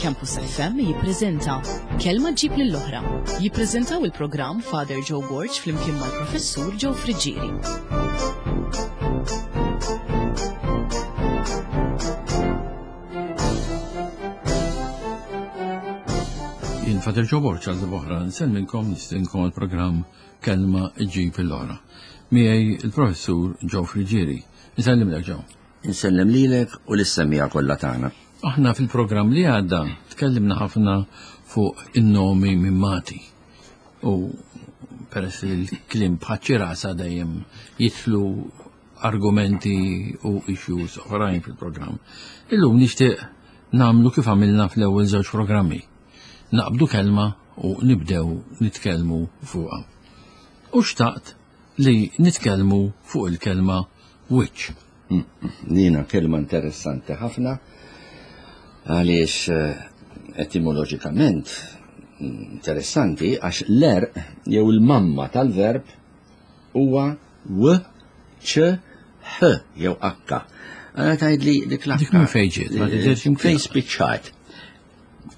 Campus FM jippreżenta Kelma ġġib lill-oħra. Jippreżentaw il-programm Father Joe Borg flimkien mal-Professur Joe Friggieri. Jien Father Joe Borg għal oħra nsellmilkom nistinkom għall-programm Kelma ġġib l-oħra. Miegħi il-Professur Joe Friggieri. Nsellimlek Joe. Insellem lilek u lis-semmiegħa kollha tagħna. Aħna fil-programm li għadda tkellimna ħafna fuq in-nomi mimmati. U peress li l-kliem bħaċ-ċirasa dejjem jidħlu argumenti u issues oħrajn fil-programm. Illum nixtieq nagħmlu kif għamilna fl-ewwel żewġ programmi. Naqbdu kelma u nibdew nitkellmu fuqha. U xtaqt li nitkellmu fuq il-kelma wiċċ. Dina kelma interessanti ħafna għaliex eh, etimoloġikament interessanti għax l-erq jew il-mamma tal-verb huwa w ċ h jew h. Għana tgħid li dik l Dik minn fejn ġiet, ma tidherx imkien. Fejn spiċċat.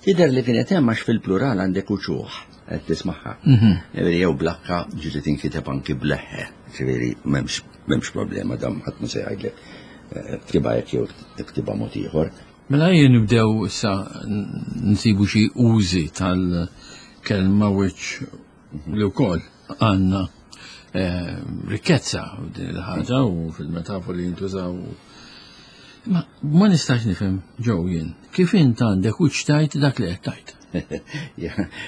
Tidher li kienet hemm għax fil-plural għandek uċuħ qed tismagħha. Mhm. Ġifieri jew blakka ġieli tinkiteb anki bleħħe. Ġifieri m'hemmx m'hemmx problema dam ħadd ma se jgħidlek eh, ktibha hekk jew ktibha mod ieħor. Mela jien nibdew issa nsibu xi użi tal-kelma wiċċ li wkoll għandna eh, rikkezza din il-ħaġa u fil-metafori jintużaw. Ma ma nistax nifhem ġew jien, kif int għandek u tajt dak li qed tajt.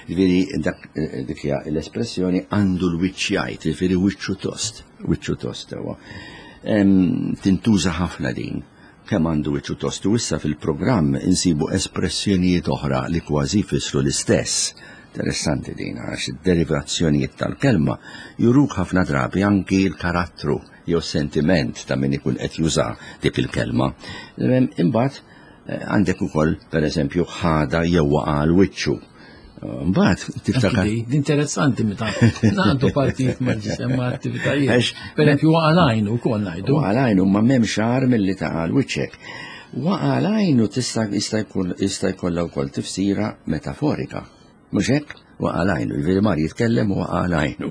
Ġifieri dak eh, dik hija l-espressjoni għandu l-wiċċ jgħid, ġifieri wiċċu tost, wiċċu tost huwa. Tintuża ħafna din kemm għandu wiċċu tost u issa fil-programm insibu espressjonijiet oħra li kważi jfissru l-istess. Interessanti din għax id-derivazzjonijiet tal-kelma juruk ħafna drabi anki l-karattru jew sentiment ta' min ikun qed juża dik il-kelma. Imbagħad eh, għandek ukoll pereżempju ħada jew waqa' l wiċċu. Mbagħad tiftakar. Interessanti meta ngħaddu partijiet mal-ġisem ma' attivitajiet. Pereżempju waqa' l-għajn ukoll ngħidu. Waqa' l-għajn ma m'hemmx xahar milli taqa' l-wiċċek. Waqa' l-għajn tista' jista' jkun jista' jkollha wkoll tifsira metaforika. Mhux hekk? Waqa' l-għajnu, jiġifieri mar jitkellem u waqa' l-għajnu.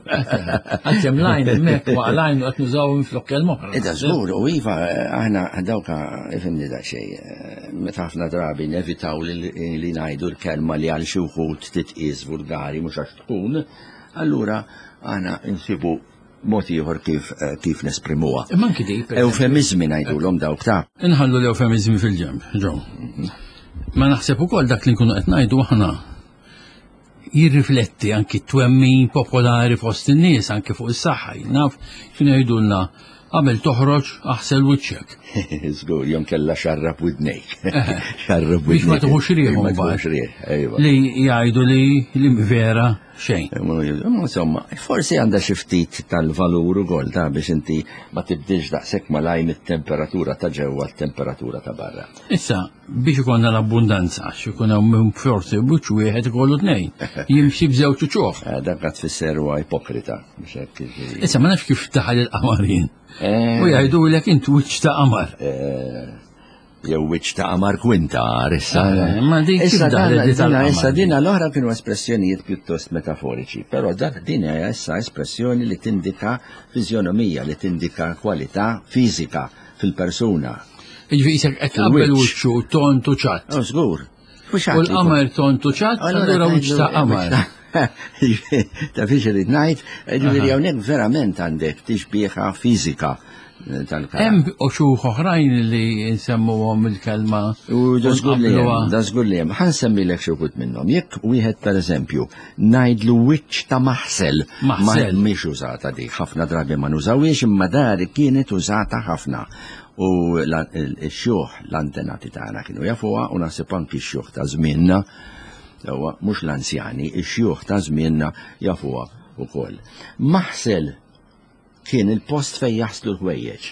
Għalkemm l-għajn hemmhekk waqa' l-għajnu qed nużaw minflok kelma oħra. Ida żgur, u iva aħna dawka ifhimni daqsxejn, meta ħafna drabi nevitaw li ngħidu l-kelma li għal xi wħud titqies vulgari mhux għax tkun, allura aħna nsibu mod ieħor kif eh, kif nesprimuha. Imma anki di. Eufemizmi ngħidulhom dawk ta' Inħallu l-eufemizmi fil-ġemb, ġew. Ma naħseb ukoll dak li nkunu qed ngħidu aħna jirrifletti anki t-twemmin popolari fost in-nies anki fuq is-saħħa. Naf kienu jgħidulna qabel toħroġ aħsel wiċċek. Żgur, jom kella xarrab widnejk. Xarrab widnejk. Biex ma tuħux rieħ. Ma tuħux rieħ, ejwa. Li jgħidu li li vera xejn. Insomma, forsi għandha xi ftit tal-valur ukoll ta' biex inti ma tibdilx daqshekk malaj mit-temperatura ta' ġewwa t-temperatura ta' barra. Issa, biex ikollna l-abbundanza, għax ikun hawn minn forsi buċ wieħed ikollu tnejn, jimxi b'żewġ uċuħ. Eh, dak qed tfisser huwa ipokrita. Issa ma nafx kif daħal il-qamarin. Eh. U jgħidulek int wiċċ ta' qamar. Eh. Jew wiċċ ta' qamar kwinta issa. Eh, ma dik issa dina issa dina l-oħra kienu espressjonijiet pjuttost metaforiċi, però dak din hija issa espressjoni li tindika fiżjonomija, li tindika kwalità fiżika fil-persuna. Jiġifieri isek qed tqabbel wiċċu tont u ċatt. Oh, żgur. U l-qamar tont u ċatt, allura wiċċ ta' qamar. Ta' fiex irid ngħid, ġifieri hawnhekk verament għandek tixbieħa fiżika eh, tal-karakter. Hemm uxuħ oħrajn li nsemmuhom il-kelma. U da żgur li hemm, da żgur li hemm. Ħa nsemmilek xi wħud minnhom. Jekk wieħed pereżempju ngħidlu wiċċ ta' maħsel. Maħsel. Mhix użata dik, ħafna drabi ma nużawhiex imma dari kienet użata ħafna. U x-xjuħ l-antenati tagħna kienu jafuha u naħseb anki x-xjuħ ta' żmienna Sewwa, mhux l-anzjani, ix-xjuħ ta' żmienna jafuha wkoll. Maħsel kien il-post fejn jaħslu l-ħwejjeġ.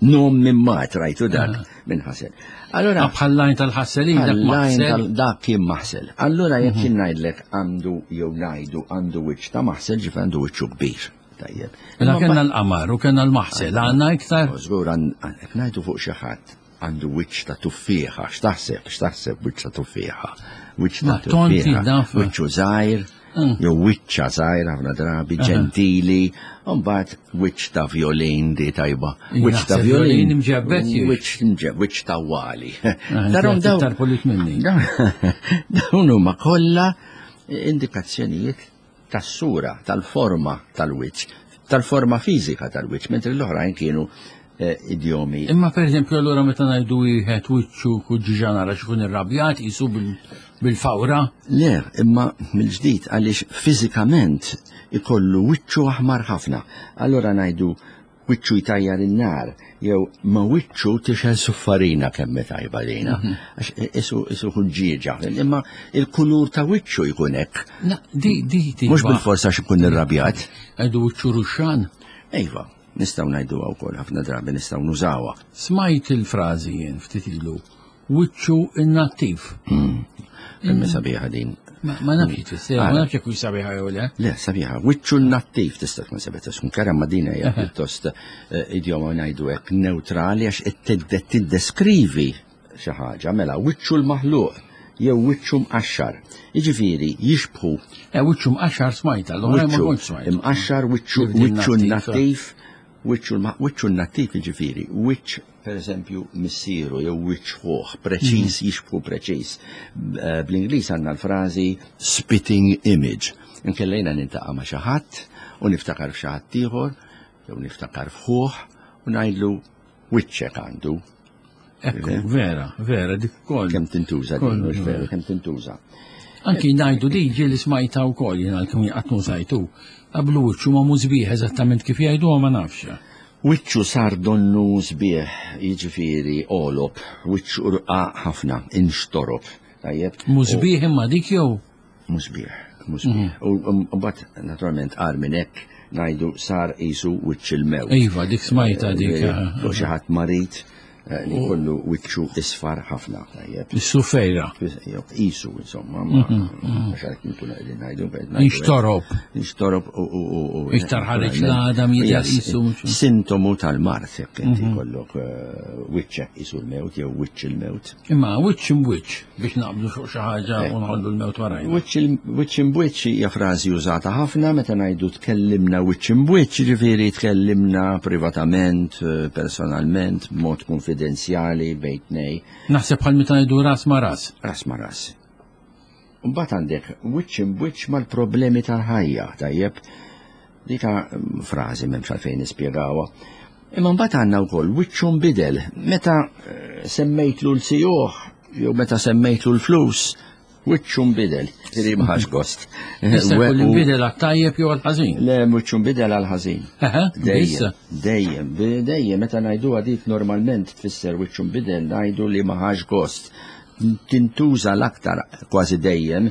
Nom minn mat rajtu dak ah. minn ħasel. Allora ah, bħal lajn tal-ħasselin dak maħsel. Dak kien maħsel. Allora jekk mhm. kien ngħidlek għandu jew ngħidu għandu wiċċ ta' maħsel ġif għandu wiċċu kbir. Tajjeb. Mela kellna l-qamar u kellna l-maħsel, għandna iktar. Żgur għandek ngħidu fuq xi ħadd. Għandu wiċċ ta' tuffieħa, x'taħseb, x'taħseb wiċċ ta' tuffieħa? Wiċċ ta' Ma, tonti, tuffieħa, naf. wiċċu żgħir, jew wiċċa żgħir ħafna drabi, ġentili, u mbagħad wiċċ ta' violin di tajba. Wiċċ ta' Naħseb violin. violin imġebbed jiex. Wiċċ mġeb, wiċċ ta' wali. Eh, Darom dawn- Iktar polit minni. Dawn huma kollha indikazzjonijiet tas-sura, tal-forma tal-wiċċ, tal-forma fiżika tal-wiċċ, mentri l-oħrajn kienu eh, idjomi. Imma per eżempju allura meta ngħidu wieħed wiċċu kuġġiġa nara x'ikun irrabjat qisu bil-fawra. Le, imma mill-ġdid għaliex fiżikament ikollu wiċċu aħmar ħafna. Allura ngħidu wiċċu jtajjar in-nar, jew ma wiċċu tixel suffarina kemm tajba lejna. Għax isu isu ħuġġieġa, imma il-kulur ta' wiċċu jkun hekk. Na, di di di. Mhux bil-forsa għax ikun irrabjat. Għidu wiċċu ruxxan. Iva, nistgħu ngħiduha wkoll ħafna drabi nistgħu nużawha. Smajt il-frażi jien ftit ilu. Wiċċu innattiv. Kemm sabiħa din. Ma nafx tfisser, ma nafx jekk hux sabiħa jew le. Le, sabiħa, wiċċu nattiv tista' tkun sabiħa tkun kera ma din hija pjuttost eh, idjoma ngħidu hekk neutrali għax qed tiddeskrivi xi ħaġa mela wiċċu l-maħluq jew wiċċu mqaxxar. Jiġifieri jixbħu Eh, wiċċu mqaxxar smajta, l-oħra ma wiċċu kontx smajta. imqaxxar, wiċċu Kif din wiċċu nattiv, nattiv, wiċċu l- wiċċu nattiv jiġifieri, wiċċ pereżempju missieru jew wiċċ ħuh, preċiż jixbħu preċiż. Eh, Bl-Ingliż għandna l-frażi spitting image. Inkellejna nintaqa' ma' xi ħadd u niftakar f'xi ħadd ieħor jew niftakar f'ħuh u ngħidlu wiċċek għandu. Ekku, vera, vera, dik ukoll. Kemm tintuża din, Koll, mhux veru, kemm tintuża. Anki ngħidu di ġieli smajta wkoll jien għalkemm qatt mużajtu. Qablu wiċċu ma mużbieħ eżattament kif jgħidu ma nafx. Wiċċu sar donnu sbieħ, jiġifieri għolob, wiċċu rqaq ħafna, inxtorob. Tajjeb? Mużbieħ imma dik jew Mhux sbieħ, mhux sbieħ. U mbagħad naturalment qar minn hekk ngħidu sar qisu wiċċ il-mewt. Iva, dik smajta dik. U xi ħadd marid eh, li kollu wiċċu isfar ħafna, tajjeb. Is-sufejra. Jew Qisu, insomma, ma mhux għalhekk nkunu qegħdin ngħidu. qed ngħidu hekk. Inxtorob. Inxtorob u u u u. Iktar ħareġ l-għadam jidher Hija qisu mhux- Sintomu tal-mard jekk inti kollok eh, wiċċek qisu l-mewt jew wiċċ il-mewt. Imma wiċċ imwiċċ biex naqbdu fuq xi ħaġa u nħollu l-mewt warajna. Wiċċ imwiċċ hija frażi użata ħafna meta ngħidu tkellimna wiċċ imwiċċ, ġifieri tkellimna privatament, eh, personalment, b'mod konfidenzjali bejn tnej, Naħseb bħal meta ngħidu ras ma ras. ras ma ras. Mbagħad għandek wiċċ imwiċċ mal-problemi tal-ħajja, tajjeb. Dika mm, frażi m'hemmx għalfejn nispjegawha. Imma mbagħad għandna wkoll wiċċu nbidel meta eh, semmejtlu l-sijuħ jew meta semmejtlu l-flus, wiċċu nbidel. Ġifieri ma ħax gost. Issa jkun inbidel għat-tajjeb jew għall-ħażin. Le wiċċu nbidel għal ħażin. Eħe, issa. Dejjem, dejjem, dejjem, meta ngħiduha dik normalment tfisser wiċċu nbidel ngħidu li ma ħax gost. Tintuża l-aktar kważi dejjem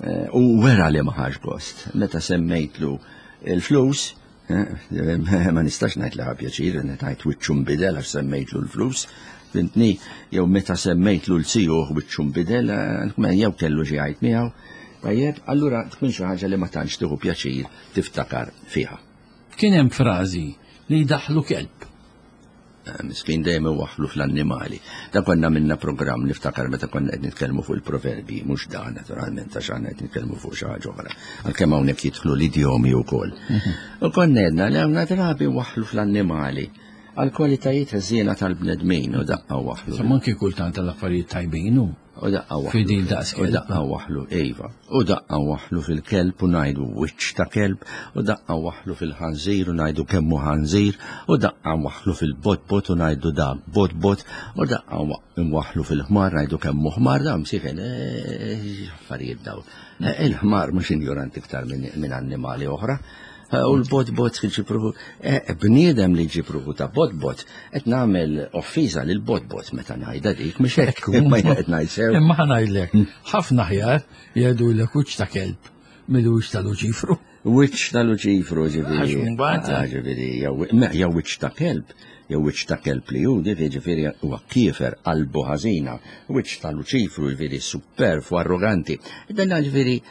eh, u wera li ma ħax gost. Meta semmejtlu il-flus, eh, ma nistax ngħid li ħa pjaċir, ngħid wiċċu nbidel għax semmejtlu l-flus, fhimtni, jew meta semmejtlu l-sijuħ wiċċu nbidel, eh, jew kellu xi jgħid miegħu. Tajjeb, allura tkun xi ħaġa li ma tantx tieħu pjaċir tiftakar fiha. Kien hemm frażi li jdaħlu kelb. Eh, Miskin dejjem iwaħħlu fl-annimali. Da konna minna programm niftakar meta konna qed nitkellmu fuq il-proverbi, mhux dan naturalment għax aħna qed nitkellmu fuq xi ħaġa oħra. Għalkemm hawnhekk jidħlu l-idjomi wkoll. U konna għedna li hawn drabi waħħlu fl-annimali għal kwalitajiet ħżiena tal-bnedmin u daqqa waħħlu. Insomma anki kultant tal-affarijiet tajbin hu. U daqqa waħlu. Fidil daqs U kelb. daqqa waħlu, iva. U daqqa waħlu fil-kelb u ngħidu wiċċ ta' kelb, u daqqa waħlu fil-ħanżir u ngħidu kemmu ħanżir, u daqqa waħlu fil-botbot u ngħidu da botbot, u daqqa waħlu fil-ħmar ngħidu kemmu ħmar, da msiken, eh, affarijiet daw. Eh, Il-ħmar mhux injoranti iktar minn minn annimali oħra. Eh, U l-botbot ġipruħu, eh, bniedem li ġipruħu ta' botbot, qed nagħmel offiża lil botbot meta ngħidha dik, mhux hekk, imma jien qed ngħid sew. Imma ħa ngħidlek, ħafna ħjar jgħidu l wiċċ ta' kelb mill-wiċċ ta' Luċifru. Wiċċ ta' Luċifru ġifieri. Għax mbagħad- Ah, ġifieri, jew me, jew wiċċ ta' kelb, jew wiċċ ta' kelb li hu ġifieri huwa kiefer qalbu ħażina, wiċċ ta' Luċifru ġifieri superf u arroganti. Dan ġifieri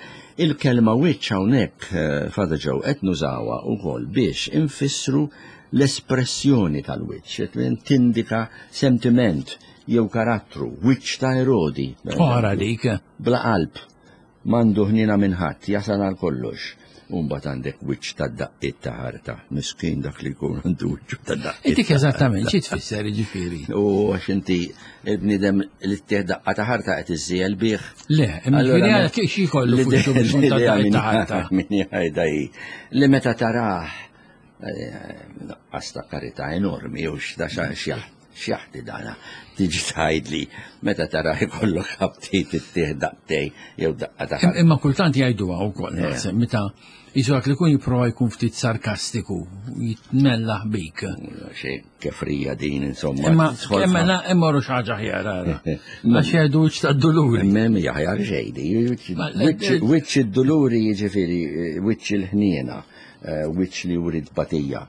il-kelma wiċċ hawnhekk eh, Father Joe qed nużawha wkoll biex infissru l-espressjoni tal-wiċċ, tindika sentiment jew karattru, wiċċ ta' Erodi. Ora dik. Bla qalb, m'għandu ħniena minn ħadd, jasal għal kollox. U mbagħad għandek wiċċ ta' daqqiet ta' ħarta. Miskin dak li jkun għandu wiċċu ta' daqqiet. Dik eżattament xi tfisser jiġifieri. U għax inti il-bniedem li ttieħ daqqa ta' ħarta qed iżżiegħel bih. Le, imma ġifieri għal xi jkollu fuq biex ta' daqqiet ta' ħarta. Min jgħidha hi li meta tarah eh, nuqqas ta' karità enormi u x'da x'jaħti dana. Tiġi tgħidli meta tara jkollok aptit ittieħ daqtej jew daqqa ta' Imma kultant jgħiduha wkoll eh. naħseb meta jisu dak li kun jipprova jkun ftit sarkastiku, jitmellaħ bik. Xi kefrija din insomma. Imma imma imma ru ħaġa ħjar ara. Għax jgħidu wiċċ tad-duluri. Mem jaħjar xejdi. Wiċċ id-duluri jiġifieri wiċċ il-ħniena, eh, wiċċ li jurid batija.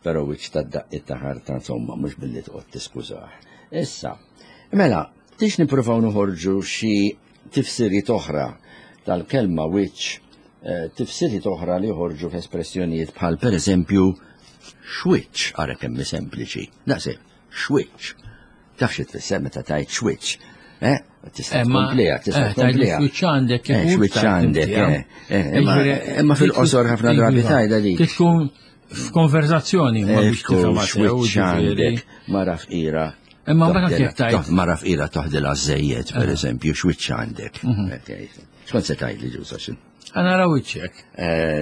Però wiċċ tad-daqqiet ta' ħarta insomma mhux billi toqgħod tiskużah. Issa, mela, tix nippruvaw noħorġu xi tifsiriet oħra tal-kelma wiċċ, eh, tifsiriet oħra li joħorġu f'espressjonijiet bħal pereżempju xwiċċ, ara kemm sempliċi. Daqshekk, xwiċċ. Taf xi tfisser meta tgħid xwiċċ. Eh, tista' tkompliha, tista' eh, tkompliha. Xwiċċ għandek, eh, xwiċċ għandek, eh, imma fil-qosor ħafna drabi tgħidha li. Tkun f'konverzazzjoni ma biex tifhem xwiċċ għandek mara fqira. Imma meta kif tgħid. Mara fqira toħdilha żejjed, per eżempju, xwiċċ għandek. Mhm. Xkont se tgħid li ġuża xi? Għana ra wiċċek.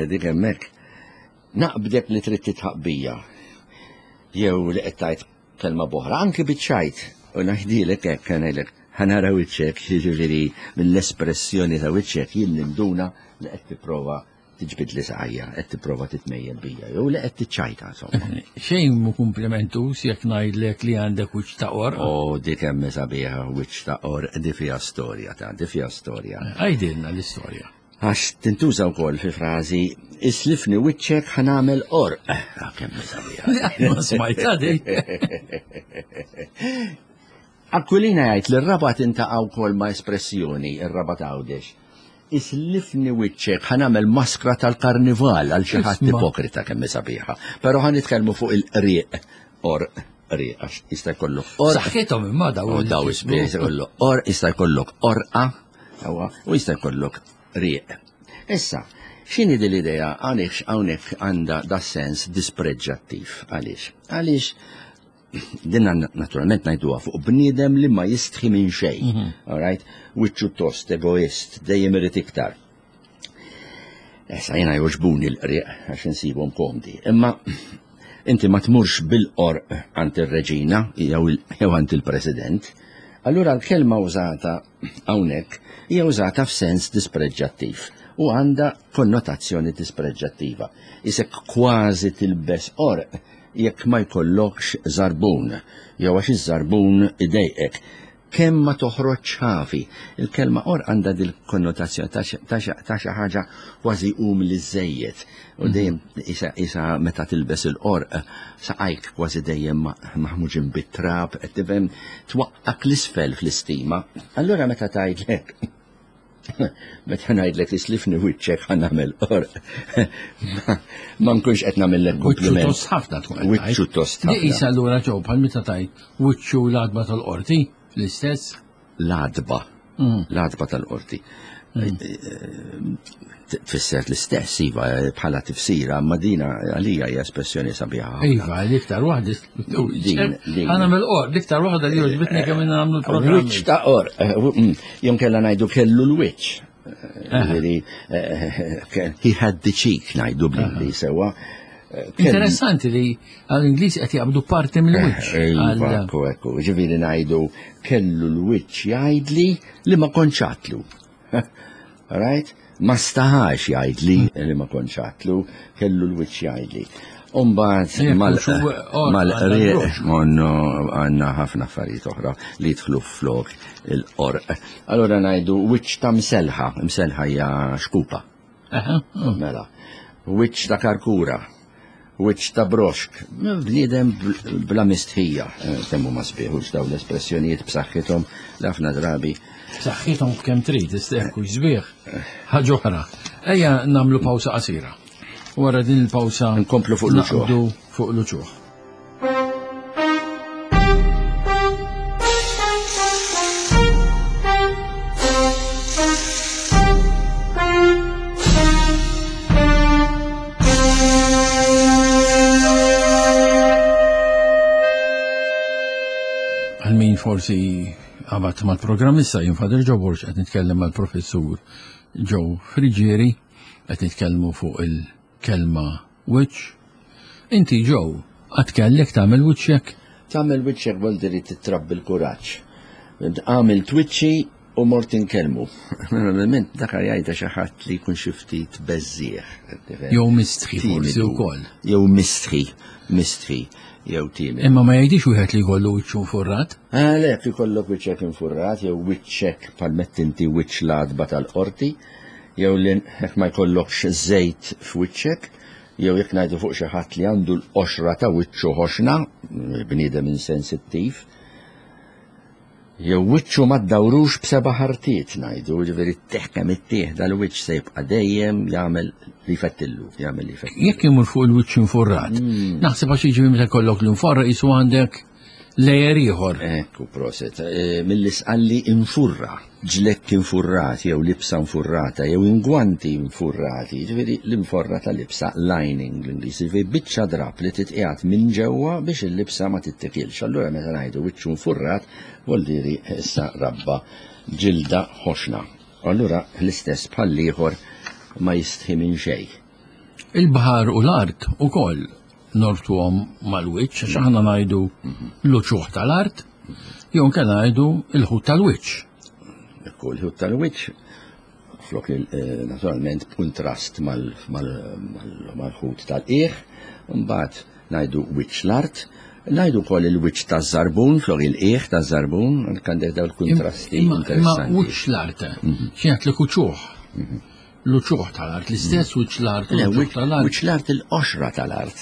Dik hemmhekk. Naqbdek li trid titħaq bija. Jew li qed tgħid kelma b'oħra, anki biċ-ċajt, u ngħidilek hekk, ngħidlek, ħa nara wiċċek, jiġifieri mill-espressjoni ta' wiċċek jien ninduna li qed tipprova tiġbidli saqajja, qed tipprova titmejjel bija, jew li qed tiċċajta insomma. Xejn mhu kumplimentuż jekk ngħidlek li għandek wiċċ ta' qorq. O dik hemm sabiħa wiċċ ta' qorq, di fiha storja ta' di fiha storja. Għidilna l-istorja. Għax tintuża wkoll fi frażi islifni wiċċek ħa nagħmel qorq. Ah, kemm sabiħa. Ma smajtha di. Aquilina jgħid li r-Rabat intaqa' wkoll ma' espressjoni, ir-Rabat Għawdex. Islifni wiċċek ħa nagħmel maskra tal-karnival għal xi ħadd ipokrita kemm sabiħa. Però ħa nitkellmu fuq il-qrieq qorq qrieq għax jista' jkollok qorq. Saħħithom imma daw. Daw jista' jkollok qorq, jista' jkollok qorqa. Sewwa, u jista' jkollok rieq. Issa, x'inhi din l-idea għaliex hawnhekk għandha da sens dispreġġattiv? Għaliex? Għaliex din naturalment ngħiduha fuq bniedem li ma jistħi minn xejn. Mhm. All right? Wiċċu tost, egoist, dejjem irid iktar. Issa jiena jogħġbuni l-qrieq għax insibhom komdi. Imma inti ma tmurx bil-qorq għand ir-reġina jew għand il-president. Allura l-kelma użata hawnhekk hija użata f'sens dispreġġattiv u għandha konnotazzjoni dispreġġattiva. Isek kważi tilbes qorq jekk ma jkollokx żarbun jew għax iż-żarbun idejqek. Kemm ma toħroġx ħafi. Il-kelma qorq għandha dil-konnotazzjoni ta' xi ħaġa kważi umli żejjed. U dejjem isa meta tilbes il-qorq saqajk kważi dejjem maħmuġin bit-trab, qed tifhem twaqqak l-isfel fl-istima. Allura meta tgħidlek Meta ngħidlek islifni wiċċek ħa nagħmel qorq. Ma nkunx qed nagħmellek kompliment. Wiċċu tost ħafna tkun. Wiċċu tost ħafna. Issa allura ġew bħal meta tajt wiċċu l-għadba tal-qorti l-istess. L-għadba. Mm. L-għadba tal-qorti. Mm. Tfisser l-istess, iva, bħala tifsira, ma dina għalija hija espressjoni sabiħa. Iva, l-iktar waħda. Għana mill-qor, l-iktar waħda li joġbitni kemm nagħmlu l-programm. Wiċċ ta' qor, eh, mm, kella ngħidu kellu l-wiċċ. Ġifieri, eh, eh, he had the cheek ngħidu bl-Ingliż sewa. Interessanti li għall-Ingliż qed jaqbdu parti mill-wiċċ. Iva, ekku, ekku. Ġifieri ngħidu kellu l-wiċċ jgħidli li ma kontx għatlu. Right? Ma staħax jgħidli li ma kontx għatlu, kellu l-wiċċ jgħidli. Umbat mal-qrieq monno għanna ħafna affarijiet oħra li jidħlu flok il-qorq. Allora ngħidu wiċċ ta' mselħa, mselħa hija xkupa. Mela, wiċċ ta' karkura, wiċċ ta' broxk, bniedem bla mistħija, eh, kemm huma sbieħ dawn l-espressjonijiet b'saħħithom li ħafna drabi. B'saħħithom kemm trid, istekku sbieħ. Ħaġa oħra. Ejja nagħmlu pawsa qasira. Wara din il-pawsa nkomplu fuq l-uċuħ. Fuq l-uċuħ. Għal min forsi għabat mal-programm issa jien Father Joe Borg qed nitkellem mal-professur Joe Friġieri qed nitkellmu fuq il-kelma wiċċ. Inti Joe, qatt kellek tagħmel wiċċek? Tagħmel wiċċek vol diri titrabbi l-kuraġġ. Għamilt wiċċi u mort inkellmu. Normalment dak jgħidha xi ħadd li jkun xi ftit beżżieħ. Jew mistħi forsi wkoll. Jew mistħi, mistħi, jew timidu. Imma ma jgħidix wieħed li jkollu wiċċu nfurrat? Għalhekk ikollok wiċċek infurrat jew wiċċek bħal mett inti wiċċ l-għatba tal-qorti, jew li jekk ma jkollokx żejt f'wiċċek, jew jekk ngħidu fuq xi ħadd li għandu l-qoxra ta' wiċċu ħoxna, bniedem insensittiv, jew wiċċu ma ddawrux b'seba' ħartiet ngħidu, jiġifieri ttieħ kemm ittieħ dal-wiċċ se jibqa' dejjem jagħmel li jfettillu, jagħmel li jfettillu. Jekk imur fuq il-wiċċ infurrat, naħseb għax jiġifieri meta jkollok l-inforra qisu għandek layer ieħor. Ekku, proset. Mill-isqalli infurra, ġlekk infurrat jew libsa infurrata jew ingwanti infurrati, jiġifieri l-inforra ta' libsa lining bl-Ingliż, jiġifieri biċċa drapp li titqiegħed minn ġewwa biex il-libsa ma tittikilx. Allura meta ngħidu wiċċu infurrat, vuol dire issa rabba ġilda ħoxna. Allura l-istess bħall-ieħor ma jistħi minn xejn. Il-baħar u l-art ukoll norbtuhom mal-wiċċ, għax aħna ngħidu l-uċuħ tal-art, jew inkella ngħidu l-ħut tal-wiċċ. Ekku, l-ħut tal-wiċċ, flok naturalment b'kuntrast mal-ħut tal-qiegħ, mbagħad ngħidu wiċċ l-art, ngħidu wkoll il-wiċċ taż-żarbun, flok il-qiegħ taż-żarbun, għandek dawn il-kuntrasti interessanti. Imma wiċċ l-art, xi ngħid uċuħ. L-uċuħ tal-art, l-istess wiċċ l-art, l-uċuħ tal-art. Wiċċ l-art, il-qoxra tal-art.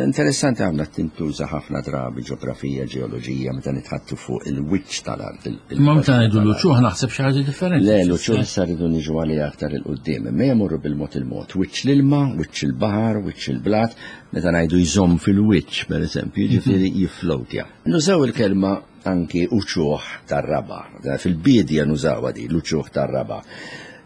Interessanti għamla tintuża ħafna drabi ġeografija, ġeoloġija, meta nitħattu fuq il-wiċċ tal-art. Imma meta ngħidu l-uċuħ naħseb xi ħaġa differenti. Le, l-uċuħ issa rridu niġu għalih aktar 'il quddiem. Imma jmorru bil-mod il-mod. Wiċċ l-ilma, wiċċ il-baħar, wiċċ il-blat, meta ngħidu jżomm fil-wiċċ, pereżempju, jiġifieri jifflowtja. Nużaw il-kelma anki uċuħ tar-raba'. Fil-biedja nużawha din, l-uċuħ tar-raba'.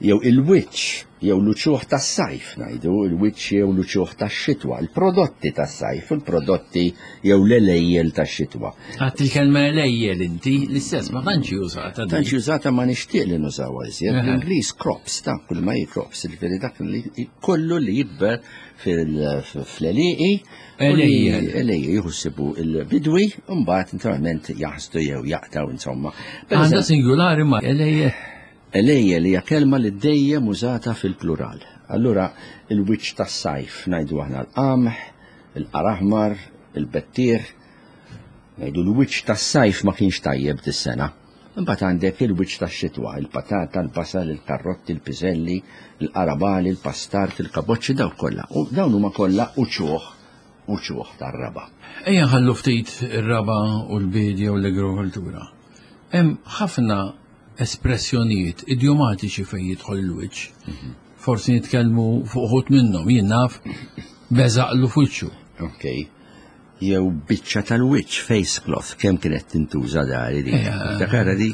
Jew il-wiċċ, jew l-uċuħ tas-sajf ngħidu, il-wiċċ jew l-uċuħ tax-xitwa, il-prodotti tas-sajf u l-prodotti jew l-għelejjel tax-xitwa. Għadt il-kelma għelejjel inti, l-istess ma tantx hi użata din. Tantx hi użata ma nixtieq li nużawha iżjed. Bl-Ingliż crops, ta' kull ma hi crops, jiġifieri dak li kollu li jikber fl-għelieqi Elejjel. Elejjel, jieħu ssibu il-bidwi, u mbagħad naturalment jaħsdu jew jaqtaw insomma. Għandha singulari ma elejjel. Elejjel hija kelma li dejjem użata fil-plural. Allura il-wiċċ tas-sajf ngħidu aħna l-qamħ, il-qaraħmar, il-bettieħ. Ngħidu l-wiċċ tas-sajf ma kienx tajjeb dis-sena. Imbagħad għandek il-wiċċ tax-xitwa, il-patata, il-basal, il-karrotti, il-piżelli, il-qarabali, il-pastart, il-kaboċċi, dawk kollha. U dawn huma kollha uċuħ, uċuħ tar-raba'. Ejja nħallu ftit ir-raba' u l-biedja u l-agrikoltura. Hemm ħafna espressjonijiet idjomatiċi fejn jidħol il-wiċċ. Forsi nitkellmu fuq uħud minnhom, jien naf beżaqlu f'wiċċu. Okay. Jew biċċa tal-wiċċ, face cloth, kemm kienet tintuża dari dik. Tiftakara dik?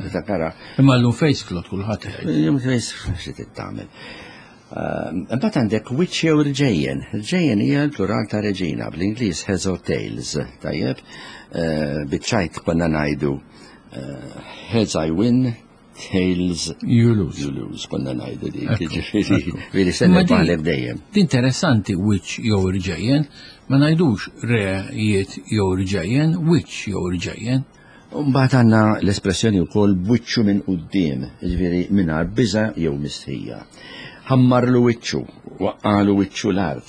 Tiftakara. Imma llum face cloth kulħadd jgħid. Illum face cloth xi trid tagħmel. Imbagħad għandek wiċċ jew rġejjen. Rġejjen hija l-plural ta' reġina, bl-Ingliż heads or tails, tajjeb. Biċ-ċajt konna ngħidu heads I win, Tails you lose. You lose, konna ngħidu dik, jiġifieri, veri se nirbaħlek dejjem. Interessanti wiċċ jew irġejjen, ma ngħidux rejiet jew irġejjen, wiċċ jew irġejjen. Mbagħad għandna l-espressjoni wkoll b'wiċċu minn quddiem, jiġifieri mingħajr biża' jew mistħija. Ħammarlu wiċċu, waqqalu wiċċu l-art.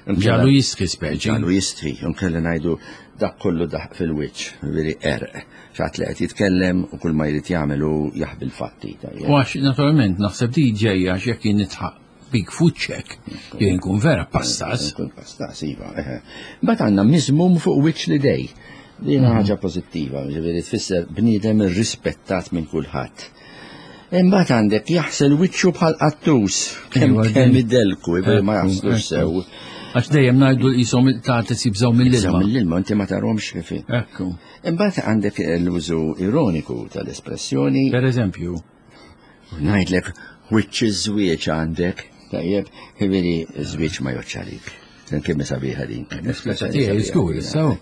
Ġalu jistħi speċi. Ġalu jistħi, nkella ngħidu dak kollu daħq fil-wiċċ, jiġifieri qerq. Xi ħadd li qed jitkellem u kull ma jrid jagħmel hu jaħbi l-fatti. U għax naturalment naħseb di ġejja għax jekk jien nidħaq bik f'wiċċek, jien nkun vera pastas. Nkun pastas, iva. Mbagħad għandna miżmum fuq wiċċ l-idej. Din ħaġa pożittiva, ġifieri tfisser bniedem irrispettat minn kulħadd. Imbagħad għandek jaħsel wiċċu bħal qattus, kemm kemm idelku, ma jaħslux sew. Għax dejjem ngħidu l-qishom ta' jibżgħu mill-ilma. Mill-ilma inti ma tarhomx kif. Ekku. Imbagħad għandek l-użu ironiku tal-espressjoni. Per eżempju. Ngħidlek wiċċ iż-żwieġ għandek, tajjeb, ħibieri żwieġ ma joċċalik. Kemm sabiħa din. Espressjoni tiegħi żgur, sew.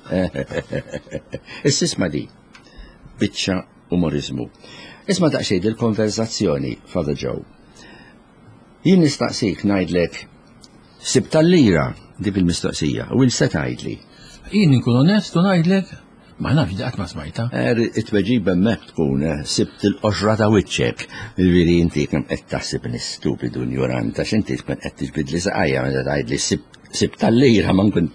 Issa di. Biċċa umorizmu. Isma' daqsxejn il-konverzazzjoni, Father Joe. Jien nistaqsik ngħidlek sib tal-lira dik il-mistoqsija u se tgħidli. Jien inkun onest u ngħidlek ma nafx daqt ma smajta. Er, it-tweġiba hemmhekk tkun eh, sibt il-qoxra ta' wiċċek. Jiġifieri inti kemm qed taħseb stupidu ignorant għax inti tkun qed tiġbidli saqajja meta tgħidli sibt tal-lira ma nkun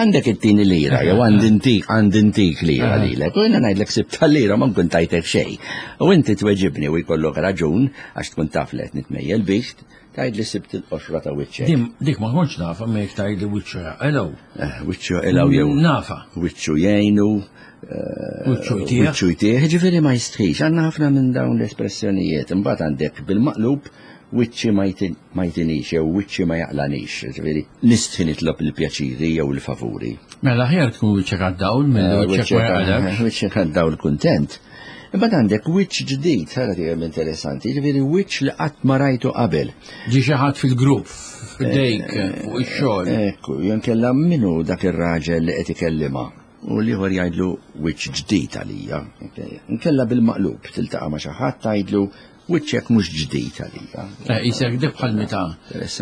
Għandek it-tieni lira, jew għandi ntik, għandi ntik lira lilek, u jiena ngħidlek sibt tal-lira ma nkun tajtek xejn. U inti tweġibni u jkollok raġun, għax tkun taf li qed nitmejjel bik, tgħidli sibt il-qoxra ta' wiċċek. Dik ma kontx nafa ma jekk tgħidli wiċċu jaqilgħu. Eh, wiċċu jaqilgħu jew. Nafa. Wiċċu jgħinu. Eh, wiċċu jtieħ. Wiċċu jtieħ, ġifieri ma jistħix. Għandna ħafna minn dawn l-espressjonijiet. Imbagħad għandek bil-maqlub wiċċi ma jtinix jew wiċċi ma jaqlanix, ġifieri nistħi nitlob il-pjaċiri jew il-favuri. Mela aħjar tkun wiċċek għad-dawl milli eh, wiċċek ma jaqlekx. Wiċċek għad-dawl kuntent. Imbagħad għandek wiċċ ġdid, ħara tiegħem interessanti, ġifieri wiċċ li qatt ma rajtu qabel. Ġi xi ħadd fil-grupp, f'dejk, eh, fuq ix-xogħol. Ekku, jenkella minnu dak ir-raġel li qed ikellimha u l-ieħor jgħidlu wiċċ ġdid għalija. Nkella bil-maqlub, tiltaqa' ma' xi ħadd tgħidlu Wiċċek mhux ġdid għalija. Eh, isek dik bħal meta.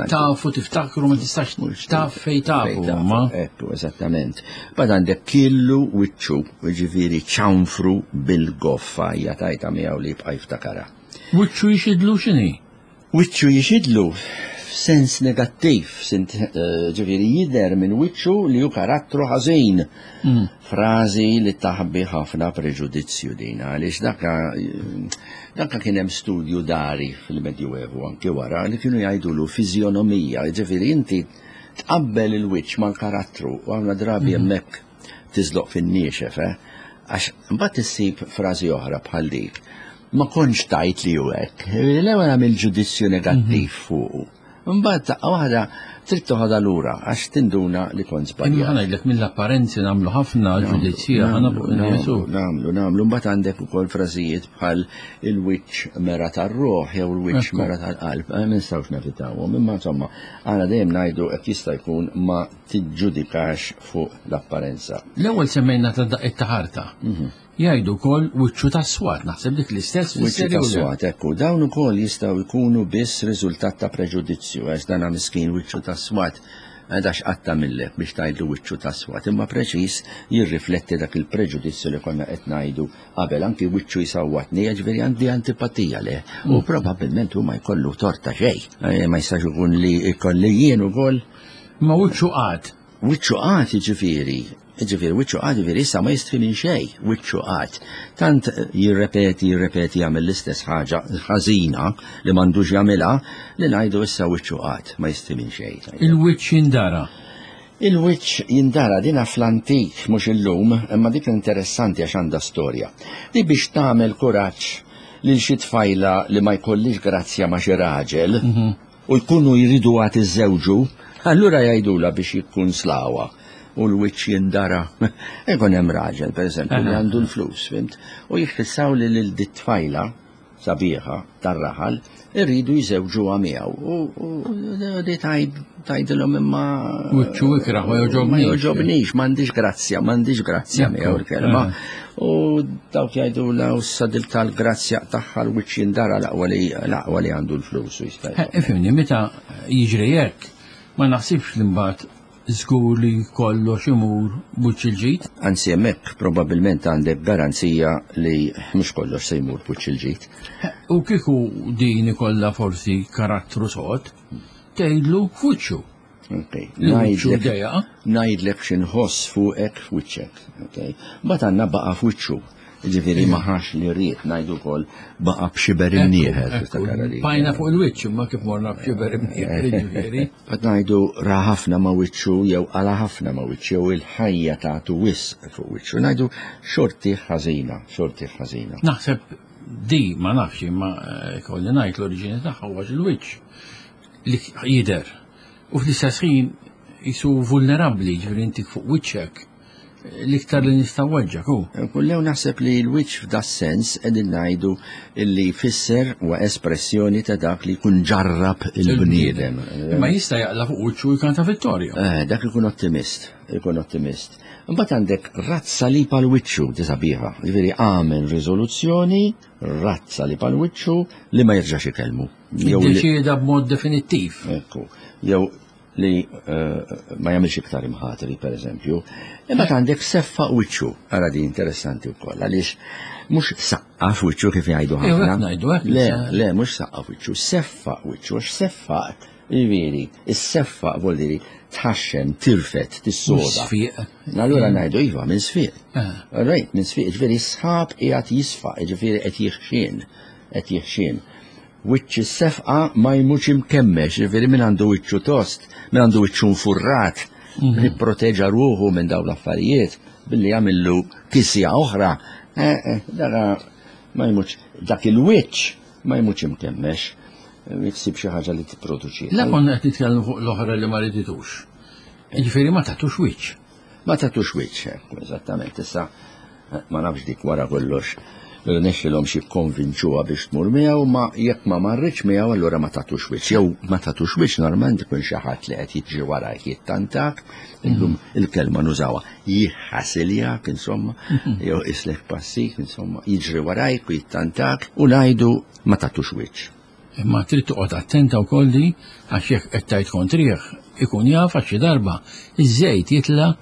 Tafu tiftakru ma tistax taf fej tafu. Ma. Ekku, eżattament. Bad għandek killu wiċċu, ġifieri ċanfru bil-goffa hija tajta miegħu li jibqa' jiftakara. Wiċċu jixidlu x'inhi? Wiċċu jixidlu f'sens negattiv, eh, ġifieri jidher minn wiċċu li hu karattru ħażin. Mm. Frażi li taħbi ħafna preġudizzju din, għaliex daka daka kien hemm studju dari fil-Medjuevu anki wara li kienu jgħidulu fiżjonomija, ġifieri inti tqabbel il-wiċċ mal-karattru u għamla drabi mhm. hemmhekk tiżloq fin-niexef, eh? Għax mbagħad issib frażi oħra bħal dik. Ma kontx tajt li hu hekk. L-ewwel għamil ġudizzju negattiv mhm. fuqu. Imbagħad daqqa waħda trid toħodha lura għax tinduna li kont żbaljat. Imma ngħidlek mill-apparenzi nagħmlu ħafna ġudizzji aħna fuq in-nies. Nagħmlu, nagħmlu. Mbagħad għandek ukoll frażijiet bħal il-wiċċ mera tar-ruħ jew il-wiċċ mera tal-qalb. Eh, ma nistgħux nevitawhom, imma insomma, aħna dejjem ngħidu qed jista' jkun ma tiġġudikax fuq l-apparenza. L-ewwel semmejna ta' daqqiet ta' ħarta. Mhm. Jgħidu wkoll wiċċu tas-swat, naħseb dik l-istess Wiċċu tas-swat, ekku, dawn ukoll jistgħu jkunu biss riżultat ta' preġudizzju, għax dana miskin wiċċu tas-swat għax qatta millek biex tgħidlu wiċċu tas-swat, imma preċiż jirrifletti dak il-preġudizzju li konna qed ngħidu qabel, anki wiċċu jsawwatni, jiġifieri għandi antipatija leh. U probabbilment hu ma jkollu tort ta' xejn. Eh, ma jistax ikun li jkolli jien ukoll. Ma wiċċu qagħad. Wiċċu qagħad jiġifieri Jiġifieri wiċċu qagħad jiġifieri issa ma jistħi minn xejn, wiċċu qagħad. Tant jirrepeti, jirrepeti jagħmel l-istess ħaġa ħażina li m'għandux jagħmilha li ngħidu issa wiċċu qagħad ma jistħi minn xejn. Il-wiċċ jindara. Il-wiċċ jindara dina fl-antik mhux illum, imma dik interessanti għax għandha storja. Di biex tagħmel kuraġġ lil xi tfajla li ma jkollix grazzja ma' xi raġel, mhm. u jkunu jridu għad iżżewġu, allura jgħidulha biex jikkunslawha u l-wiċċ jindara. Ikun hemm raġel, pereżempju, li għandu l-flus, fimt? U jiffissaw li lil dit tfajla sabiħa tar-raħal irridu jżewġuha miegħu. U di tgħidilhom imma Wiċċu ikrah ma jogħġobnix. Ma jogħġobnix, m'għandix grazzja, m'għandix grazzja miegħu l-kelma. U dawk jgħidu la u sadil tal-grazzja tagħha l-wiċċ jindara l-aqwa li l-aqwa li għandu l-flus u jista' eh, Ifhimni, meta jiġri hekk, ma naħsibx li mbagħad żgur li kollox imur b'wiċċ il-ġid. Anzi hemmhekk probabbilment għandek garanzija li mhux kollox se jmur b'wiċċ il-ġid. Eh, u kieku din ikollha forsi karattru sod, tgħidlu f'wiċċu. Ngħidlek x'inħoss fuqek f'wiċċek. Mbagħad għandna baqa' f'wiċċu. Ġifieri ma ħax li rrid ngħidu wkoll baqa' b'xiber imnieħer. Bajna fuq il-wiċċ imma kif morna b'xiber imnieħer ġifieri. Qed ngħidu ra ħafna ma' wiċċu jew qala ħafna ma' wiċċu jew il-ħajja tagħtu wisq fuq wiċċu. Ngħidu xorti ħażina, xorti ħażina. Naħseb Di ma nafx imma eh, kolli ngħid l-oriġini tagħha huwa il-wiċċ li jidher. U fl-istess ħin jisu vulnerabbli, ġifieri inti fuq wiċċek l-iktar li nista' weġġak hu. Kullew naħseb li l-wiċċ f'da sens qegħdin ngħidu li jfisser huwa espressjoni ta' dak li jkun ġarrab il-bniedem. Imma jista' jaqla fuq wiċċu jkanta vittorja. Eh, dak ikun ottimist, ikun ottimist. Imbagħad għandek razza li pal wiċċu disabiħa, ġifieri għamel riżoluzzjoni razza li pal wiċċu li ma jerġax ikellmu. Jew deċieda b'mod definittiv. Ekku. Jew li eh, ma jagħmilx iktar imħatri, per eżempju. Imma għandek seffa wiċċu, ara di interessanti wkoll, għaliex mhux saqqaf wiċċu kif jgħidu ħafna. Le, le, mhux saqqaf wiċċu, seffa wiċċu, għax seffa Jiġifieri, is-seffa vuol dire tħaxxen, tirfet, tissoda. Sfiq. Allura ngħidu iva minn sfiq. Eh. Rejt, minn sfiq, ġifieri sħab qiegħed jisfaq, ġifieri qed jixxien, qed jixxien. Wiċċ is-sefqa ma jmutx imkemmex, jiġifieri min għandu wiċċu tost, min għandu wiċċu nfurrat, mhm. jipproteġa ruħu minn dawn l-affarijiet billi jagħmillu kisja oħra. Eh, eh, dara ma jmutx dak il-wiċċ ma jmutx imkemmex jiksib xi ħaġa li tipproduċi. La konna qed nitkellmu fuq l-oħra li ma riditux. Jiġifieri ma tagħtux wiċċ. Ma tagħtux wiċċ, eżattament. Issa Ma nafx dik wara kollox rnexxilhomx jikkonvinċuha biex tmur miegħu, ma jekk ma marritx miegħu allura ma tagħtux wiċċ. Jew ma tagħtux wiċċ normalment ikun xi ħadd li qed jiġri warajk jittantak, illum il-kelma nużawha jħasiljak insomma, jew islek passik insomma, jiġri warajk u jittantak u ngħidu ma tagħtux wiċċ. Imma trid toqgħod attenta wkoll li għax jekk qed tgħid kontrih ikun jaf għax xi darba iż-żejt jitla'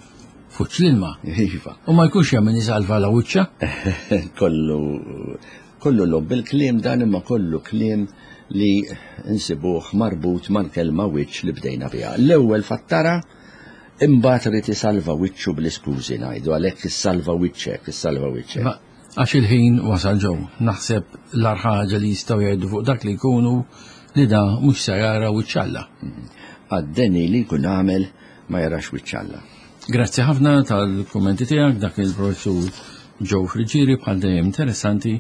fuq l-ilma. Iva. U ma jkunx hemm min isalva la wiċċa. Kollu kollu lob bil-kliem dan imma kollu kliem li nsibuh marbut mal-kelma wiċċ li bdejna biha. L-ewwel fattara imbagħad rid isalva wiċċu bl-iskużi ngħidu għalhekk issalva wiċċek, issalva wiċċek. Għax il-ħin wasal ġew. Naħseb l-agħar ħaġa li jistgħu jgħidu fuq dak li jkunu li da mhux se jara wiċċ Alla. Għad-deni li jkun għamel ma jarax wiċċ Alla. Grazzi ħafna tal-kummenti tiegħek dak il-professur Joe Friggieri bħal dejjem interessanti.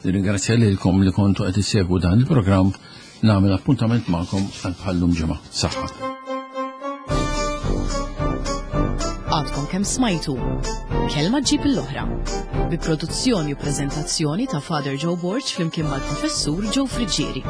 Nirringrazzja lilkom li kontu qed issegwu dan il-programm. Nagħmel appuntament magħkom għal bħallum ġimgħa. Saħħa. Għadkom kemm smajtu. Kelma ġib l-oħra. Bi produzzjoni u preżentazzjoni ta' Father Joe Borg flimkien mal-Professur Joe Friggieri.